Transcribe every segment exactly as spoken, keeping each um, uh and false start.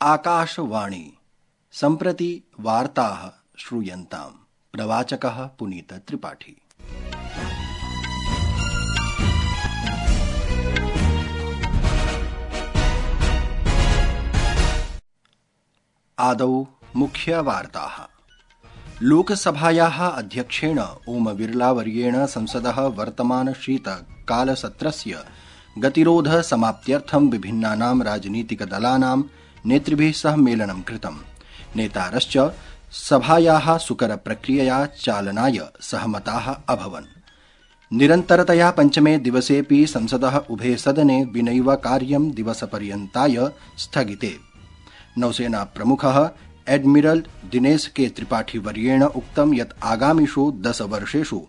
आकाशवाणी सम्प्रति वार्ताः श्रूयन्ताम्। प्रवाचकः पुनीत त्रिपाठी। आदौ मुख्यवार्ताः। लोकसभायाः अध्यक्षेण ओम बिरलावर्येण संसदः वर्तमान शीतकालसत्रस्य गतिरोध समाप्त्यर्थं विभिन्नानां राजनीतिकदलानां नेतृभिः सह मेलनं कृतम्। नेतारश्च सभायाः सुकरप्रक्रियया चालनाय सहमताः अभवन्। निरन्तरतया पञ्चमे दिवसेऽपि संसदः उभे सदने विनैव कार्यं दिवसपर्यन्ताय स्थगिते। नौसेना प्रमुखः एडमिरल दिनेश के त्रिपाठी वर्येण उक्तं यत् आगामिषु दश वर्षेषु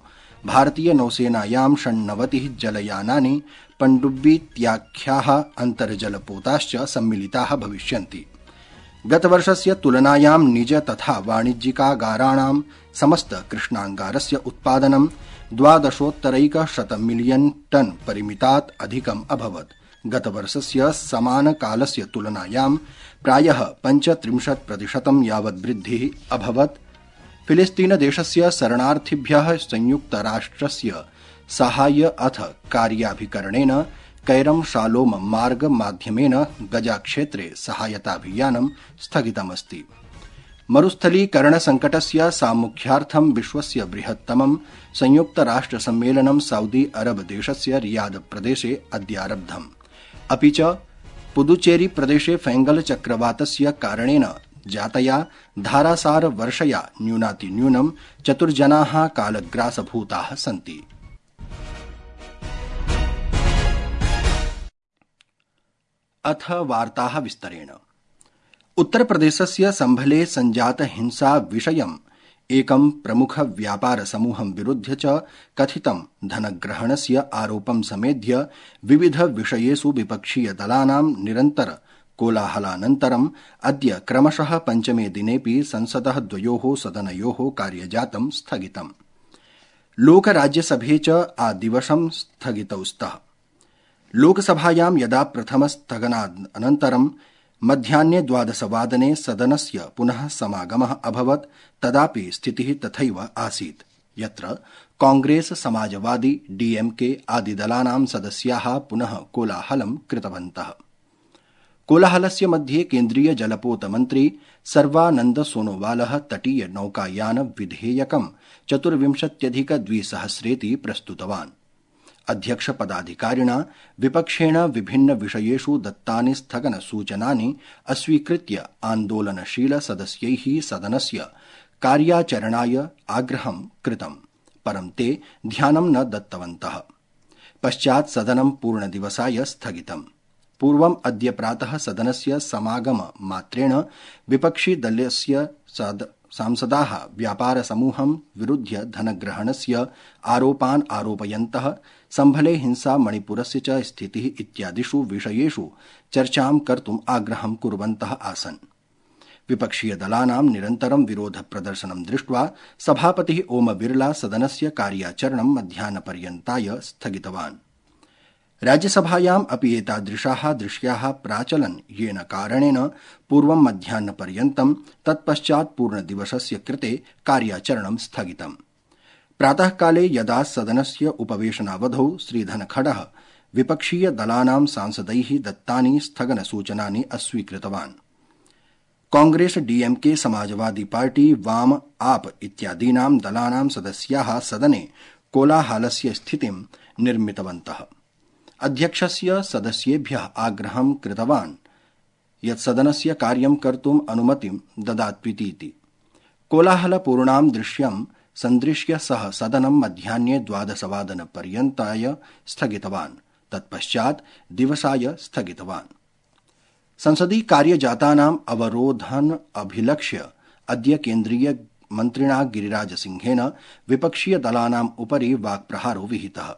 भारतीय नौसेनायां षण्णवतिः जलयानानि पण्डुब्बीत्याख्याः अन्तर्जलपोताश्च सम्मिलिताः भविष्यन्ति। गतवर्षस्य तुलनायां निज तथा वाणिज्यिकागाराणां समस्त कृष्णांगारस्य उत्पादनं द्वादशोत्तरैकशत मिलियन टन परिमितात् अधिकम् अभवत्। गतवर्षस्य समानकालस्य तुलनायां प्रायः पञ्चत्रिंशत् प्रतिशतं यावत् वृद्धिः अभवत्। फिलिस्तीनदेशस्य शरणार्थिभ्यः संयुक्तराष्ट्रस्य साहाय्य अथ कार्याभिकरणेन कैरम शालोम मार्ग माध्यमेन गजाक्षेत्रे सहायताभियानं स्थगितमस्ति। मरुस्थलीकरणसङ्कटस्य सामुख्यार्थं विश्वस्य बृहत्तमं संयुक्तराष्ट्रसम्मेलनं सऊदी अरब देशस्य रियाद प्रदेशे अद्यारब्धम्। अपि च पुदुचेरी प्रदेशे फैंगल चक्रवातस्य कारणेन जातया धारासार वर्षया न्यूनातिन्यूनं चतुर्जनाः कालग्रासभूताः सन्ति। अथ वार्ताः विस्तरेण। उत्तरप्रदेशस्य सम्भले सञ्जात हिंसा विषयम् एकं प्रमुख व्यापार समूहं विरुध्य च कथितं धनग्रहणस्य आरोपं समेध्य विविध विषयेषु विपक्षीय दलानां निरन्तर कोलाहलानन्तरम् अद्य क्रमशः पञ्चमे दिनेऽपि संसदः द्वयोः सदनयोः कार्यजातं स्थगितम्। लोकराज्यसभे च आदिवसं स्थगितौ स्तः। लोकसभायां यदा प्रथमस्थगनानन्तरं मध्याह्ने द्वादशवादने सदनस्य पुनः समागमः अभवत् तदापि स्थितिः तथैव आसीत्, यत्र कांग्रेस, समाजवादी, डीएमके आदिदलानां सदस्याः पुनः कोलाहलं कृतवन्तः। कोलाहलस्य मध्ये केन्द्रीय जलपोत मन्त्री सर्वानन्द सोनोवालः तटीय नौकायान विधेयकं चतुर्विंशत्यधिक द्विसहस्रेति प्रस्तुतवान्। अध्यक्ष पदाधिकारिणा विपक्षेण विभिन्न विषयेषु दत्तानि स्थगन सूचनानि अस्वीकृत्य आन्दोलनशील सदस्यैः सदनस्य कार्याचरणाय आग्रहं कृतम्, परं ते ध्यानं न दत्तवन्तः। पश्चात् सदनं पूर्णदिवसाय स्थगितम्। पूर्वम् अद्य प्रातः सदनस्य समागम मात्रेण विपक्षिदलस्य सांसदाः व्यापार समूहं विरुध्य धनग्रहणस्य आरोपान् आरोपयन्तः सम्भले हिंसा, मणिपुरस्य च स्थितिः इत्यादिषु विषयेषु चर्चां कर्तुम् आग्रहं कुर्वन्तः आसन्। विपक्षीयदलानां निरन्तरं विरोध प्रदर्शनं दृष्ट्वा सभापतिः ओम बिरला सदनस्य कार्याचरणं मध्याह्नपर्यन्ताय स्थगितवान्। राज्यसभायाम् अपि एतादृशाः दृश्याः प्राचलन्, येन कारणेन पूर्वं मध्याह्नपर्यन्तं तत्पश्चात् पूर्णदिवसस्य कृते कार्याचरणं स्थगितम्। प्रातःकाले यदा सदनस्य उपवेशनावधौ श्रीधनखडः विपक्षीयदलानां सांसदैः दत्तानि स्थगनसूचनानि अस्वीकृतवान्। कांग्रेस, डीएमके, समाजवादी पार्टी, वाम, आप इत्यादीनां दलानां सदस्याः सदने कोलाहलस्य स्थितिं निर्मितवन्तः। अध्यक्षस्य सदस्येभ्यः आग्रहं कृतवान् यत् सदनस्य कार्यं कर्तुम् अनुमतिं ददात्विति। कोलाहलपूर्णां दृश्यं सन्दृश्य सः सदनं मध्याह्ने द्वादशवादनपर्यन्ताय स्थगितवान्। तत्पश्चात् दिवसाय स्थगितवान्। संसदि कार्यजातानाम् अवरोधन अभिलक्ष्य अद्य केन्द्रीय मन्त्रिणा गिरिराजसिंहेन विपक्षीयदलानाम् उपरि वाक्प्रहारो विहितः।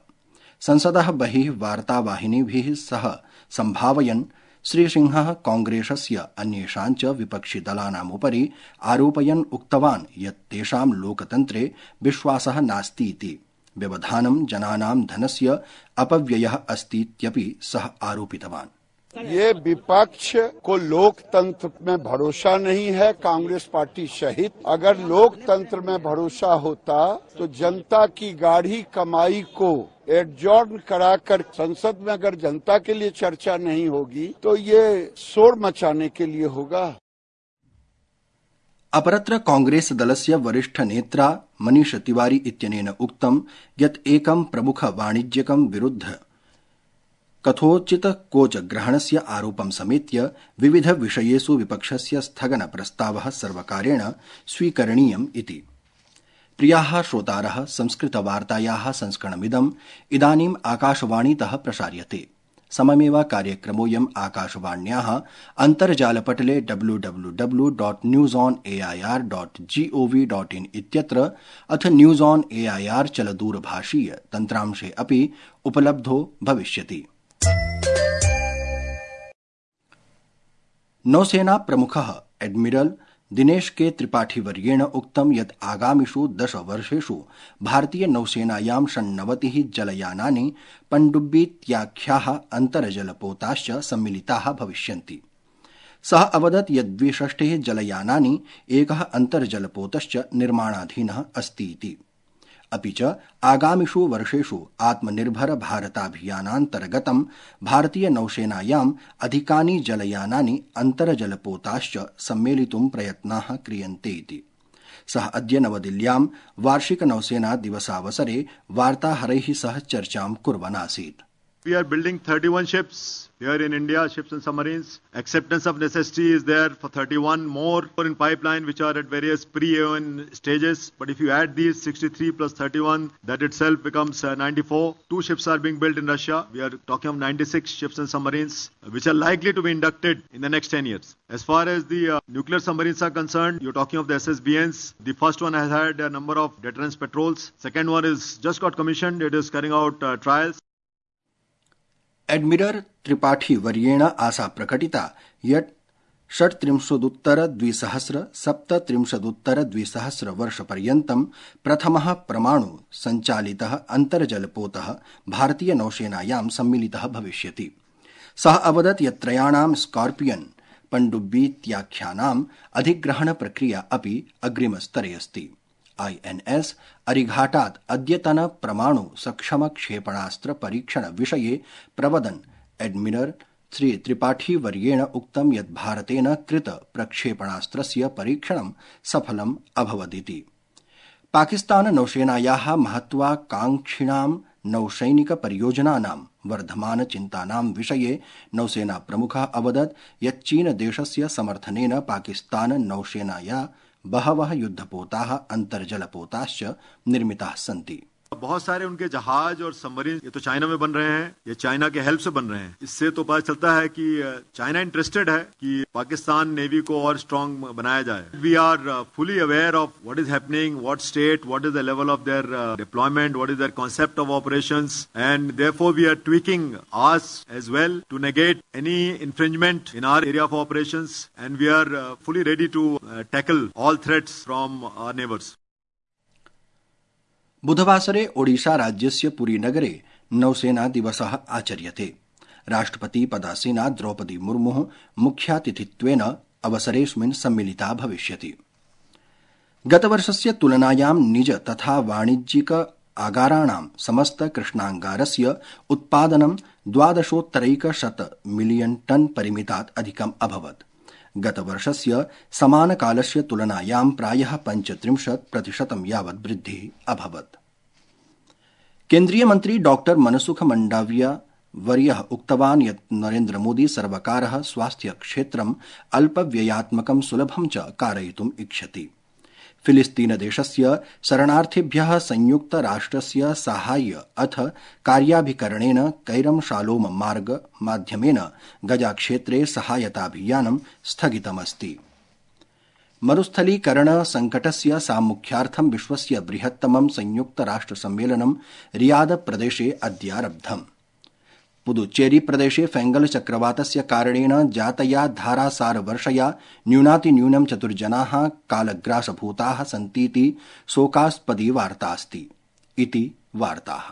संसदः बहिः वार्तावाहिनीभिः सह सम्भावयन् श्रीसिंहः कांग्रेसस्य अन्येषां च विपक्षिदलानाम् उपरि आरोपयन् उक्तवान् यत् तेषां लोकतन्त्रे विश्वासः नास्तीति। व्यवधानं जनानां धनस्य अपव्ययः अस्तीत्यपि सः आरोपितवान्। ये विपक्ष को लोकतंत्र में भरोसा नहीं है, कांग्रेस पार्टी सहित। अगर लोकतंत्र में भरोसा होता तो जनता की गाढ़ी कमाई को एडजॉर्न कराकर संसद में अगर जनता के लिए चर्चा नहीं होगी तो ये शोर मचाने के लिए होगा। अपरत्र कांग्रेस दलस्य वरिष्ठ नेत्रा मनीष तिवारी इत्यनेन उक्तं यत् एकं प्रमुख वाणिज्यिकं विरुद्ध कथोचित कोच ग्रहणस्य आरोपं समेत्य विविध विषयेषु विपक्षस्य स्थगन प्रस्तावः सर्वकारेण स्वीकरणीयम् इति। प्रियाः श्रोतारः, संस्कृतवार्तायाः संस्करणमिदम् इदानीम् आकाशवाणीतः प्रसार्यते। सममेव कार्यक्रमोऽयम् आकाशवाण्याः अन्तर्जालपटले W W W dot news on A I R dot gov dot in इत्यत्र अथ news on A I R चलदूरभाषीय तन्त्रांशे अपि उपलब्धो भविष्यति। नौसेना प्रमुखः एडमिरल दिनेश के त्रिपाठी वर्येण उक्तं यत् आगामिषु दश वर्षेषु भारतीय नौसेनायां षण्णवतिः जलयानानि पण्डुब्बीत्याख्याः अन्तर्जलपोताश्च सम्मिलिताः भविष्यन्ति। सः अवदत् यत् द्विषष्टिः जलयानानि एकः अन्तर्जलपोतश्च निर्माणाधीनः अस्ति इति। अपि च आगामिषु वर्षेषु आत्मनिर्भर भारताभियानान्तर्गतं भारतीय नौसेनायाम् अधिकानि जलयानानि अन्तर्जलपोताश्च सम्मेलितुं प्रयत्नाः क्रियन्ते इति। सः अद्य नवदिल्ल्यां वार्षिक नौसेना दिवसावसरे वार्ताहरैः सह चर्चां कुर्वन् आसीत्। We are building thirty-one ships here in India, ships and submarines. Acceptance of necessity is there for thirty-one more in pipeline, which are at various pre-A O N stages. But if you add these sixty-three plus thirty-one, that itself becomes uh, ninety-four. Two ships are being built in Russia. We are talking of ninety-six ships and submarines, which are likely to be inducted in the next ten years. As far as the uh, nuclear submarines are concerned, you're talking of the S S B Ns. The first one has had a number of deterrence patrols. Second one is just got commissioned. It is carrying out uh, trials. Admiral Tripathi वर्येण आशा प्रकटिता यत् षट्त्रिंशदुत्तर द्विसहस्र सप्तत्रिंशदुत्तर द्विसहस्र वर्षपर्यन्तं प्रथमः परमाणु सञ्चालितः अन्तर्जलपोतः भारतीय नौसेनायां सम्मिलितः भविष्यति। सः अवदत् यत् त्रयाणां स्कॉर्पियन पण्डुब्बीत्याख्यानाम् अधिग्रहण प्रक्रिया अपि अग्रिमस्तरे अस्ति। आई एन एस अरिघाटात् अद्यतन परमाणु सक्षम क्षेपणास्त्र परीक्षण विषये प्रवदन् एडमिरल श्री त्रिपाठी वर्येण उक्तं यत् भारतेन कृत प्रक्षेपणास्त्रस्य परीक्षणं सफलम् अभवदिति। पाकिस्तान नौसेनायाः महत्वाकांक्षिणां नौसैनिक परियोजनानां वर्धमान चिन्तानां विषये नौसेना प्रमुखः अवदत् यत् चीन देशस्य समर्थनेन पाकिस्तान नौसेनाया बहवः युद्धपोताः अन्तर्जलपोताश्च निर्मिताः सन्ति। बहुत सारे उनके जहाज और सबमरीन ये तो चाइना में बन रहे हैं, ये चाइना के हेल्प से बन रहे हैं। इससे तो पता चलता है कि चाइना इंटरेस्टेड है कि पाकिस्तान नेवी को और स्ट्रांग बनाया जाए। We are fully aware of what is happening, what state, what is the level of their deployment, what is their concept of operations, and therefore we are tweaking ours as well to negate any infringement in our area of operations, and we are fully ready to tackle all threats from our neighbours. बुधवासरे ओडिशा राज्यस्य पुरीनगरे नौसेना दिवसः आचर्यते। राष्ट्रपति पदासीना द्रौपदी मुर्मुः मुख्यातिथित्वेन अवसरेऽस्मिन् सम्मिलिता भविष्यति। गतवर्षस्य तुलनायां निज तथा वाणिज्यिक आगाराणां समस्त कृष्णांगारस्य उत्पादनं द्वादशोत्तरैकशत मिलियन टन परिमितात् अधिकम् अभवत्। गतवर्षस्य समानकालस्य तुलनायां प्रायः पञ्चत्रिंशत् प्रतिशतं यावत् वृद्धिः अभवत्। केन्द्रीय मन्त्री डॉक्टर मनसुख मंडाविया वर्यः उक्तवान् यत् नरेन्द्र मोदी सर्वकारः स्वास्थ्य क्षेत्रम् अल्पव्ययात्मकं सुलभं च कारयितुम् इच्छति। फिलिस्तीन देशस्य शरणार्थिभ्यः संयुक्त राष्ट्रस्य साहाय्य अथ कार्याभिकरणेन कैरम शालोम मार्ग माध्यमेन गजाक्षेत्रे सहायताभियानं स्थगितमस्ति। मरुस्थलीकरण संकटस्य सामुख्यार्थं विश्वस्य बृहत्तमं संयुक्त राष्ट्र सम्मेलनं रियाद प्रदेशे अद्यारब्धम्। पुदुच्चेरी प्रदेशे फेंगल चक्रवातस्य कारणेन जातया धारासार वर्षया न्यूनातिन्यूनं चतुर्जनाः कालग्रासभूताः सन्तीति शोकास्पदी वार्ता अस्ति। इति वार्ताः।